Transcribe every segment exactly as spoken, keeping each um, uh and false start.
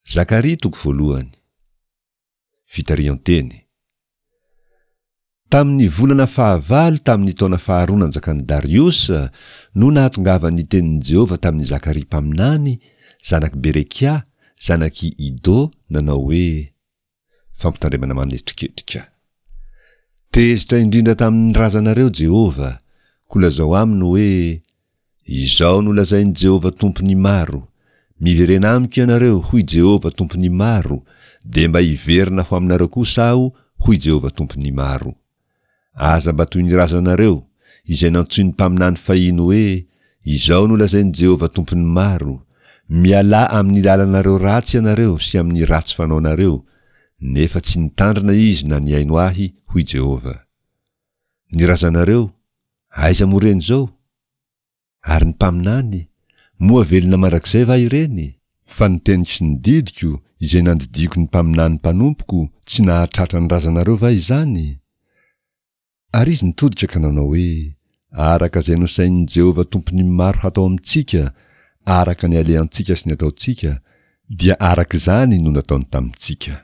Zakaria toko voalohany. Fitarihan-teny. Tamin'ny volana fahavalo tamin'ny taona faharoa nanjakan'i Dariosa no nahatongavan'ny tenin'i Jehovah tamin'i Zakaria mpaminany, zanak'i Berekia, zanak'i Ido, nanao hoe, Fampitandremana manetriketrika. Tezitra indrindra tamin'ny razanareo Jehovah, koa lazao aminy hoe, Izao no lazain'i Jehovah Tompon'ny maro, Miverena amiko ianareo, hoy Jehovah Tompon'ny maro, dia mba hiverina ho aminareo kosa aho, hoy Jehovah Tompon'ny maro. Aza mba toy ny razanareo, izay nantsoin'ny mpaminany fahiny hoe, Izao no lazain'i Jehovah Tompon'ny maro, Mialà amin'ny lalanareo ratsy ianareo sy amin'ny ratsy fanaonareo, nefa tsy nitandrina izy na nihaino ahy, hoy Jehovah. Ny razanareo, aiza moa ireny izao? Ary ny mpaminany, moa velona mandrakizay va ireny? Fa ny teniko sy ny didiko, izay nandidiako ny mpaminany mpanompoko, tsy nahatratra ny razanareo va izany? Ary izy nitodika ka nanao hoe, Araka izay nosainin'i Jehovah Tompon'ny maro hatao amintsika, araka ny alehantsika sy ny ataontsika, dia araka izany no nataony tamintsika.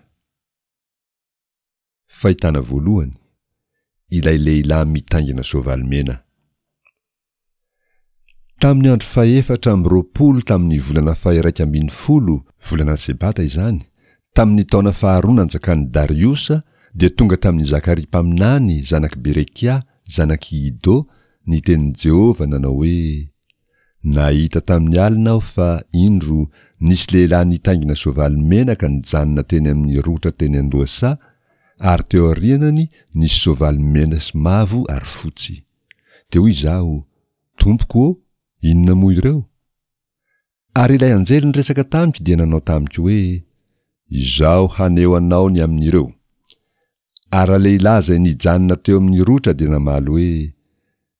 Fahitana voalohany, ilay lehilahy mitaingina soavaly mena. Tamin'ny andro fahefatra amby roapolo tamin'ny volana faha-iraika ambin'ny folo, volana Sebata izany, tamin'ny taona faharoa nanjakan'i Dariosa, dia tonga tamin'i Zakaria mpaminany, zanak'i Berekia, zanak'i Ido, ny tenin'i Jehovah nanao hoe, Nahita tamin'ny alina aho fa, indro, nisy lehilahy nitaingina soavaly mena ka nijanona teny amin'ny rotra teny an-dohasaha, ary teo aorianany nisy soavaly mena sy mavo ary fotsy. Dia hoy izaho, Tompoko ô, inona moa ireo? Ary ilay anjely niresaka tamiko dia nanao tamiko hoe, Izaho haneho anao ny amin'ireo. Ary ralehilahy izay nijanona teo amin'ny rotra dia namaly hoe,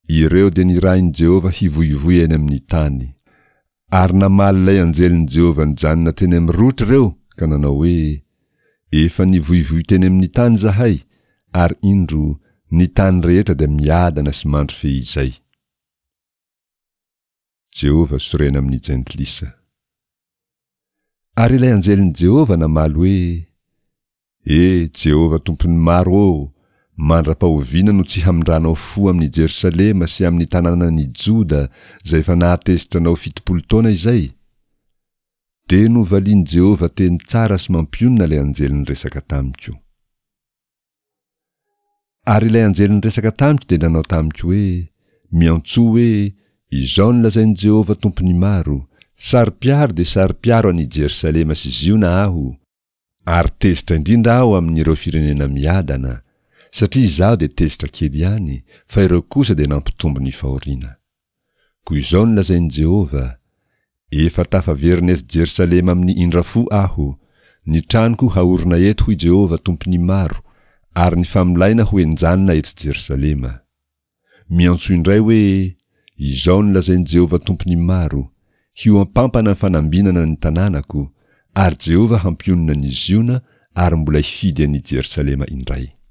Ireo dia nirahin'i Jehovah hivoivoy eny amin'ny tany. Ary namaly ilay anjelin'i Jehovah nijanona teny amin'ny rotra ireo ka nanao hoe, Efa nivoivoy teny amin'ny tany izahay, ary indro, ny tany rehetra dia miadana sy mandry fehizay. Jehovah sorena amin'ny jentilisa. Ary ilay anjelin'i Jehovah namaly hoe, E, Jehovah Tompon'ny maro ô, mandra-pahoviana no tsy hamindranao fo amin'i Jerosalema sy amin'ny tanànan'i Joda izay efa nahatezitra anao fitopolo taona izay? Dia novalian'i Jehovah teny tsara sy mampionona ilay anjely niresaka tamiko. Ary ilay anjely niresaka tamiko dia nanao tamiko hoe, Miantsoa hoe, Izao no lazain'i Jehovah Tompon'ny maro, Saro-piaro dia saro-piaro an'i Jerosalema sy Ziona aho, ary tezitra indrindra aho amin'ireo firenena miadana, satria izaho dia tezitra kely ihany, fa ireo kosa dia nampitombo ny fahoriana. Koa izao no lazain'i Jehovah, Efa tafaverina eto Jerosalema amin'ny indra fo aho, ny tranoko haorina eto, hoy Jehovah Tompon'ny maro, ary ny famolaina ho henjanina eto Jerosalema. Miantso indray hoe, Izao no lazain'i Jehovah Tompon'ny maro, Hihoampampana ny fanambinana ny tanànako, ary Jehovah hampionona an'i Ziona ary mbola hifidy an'i Jerosalema indray.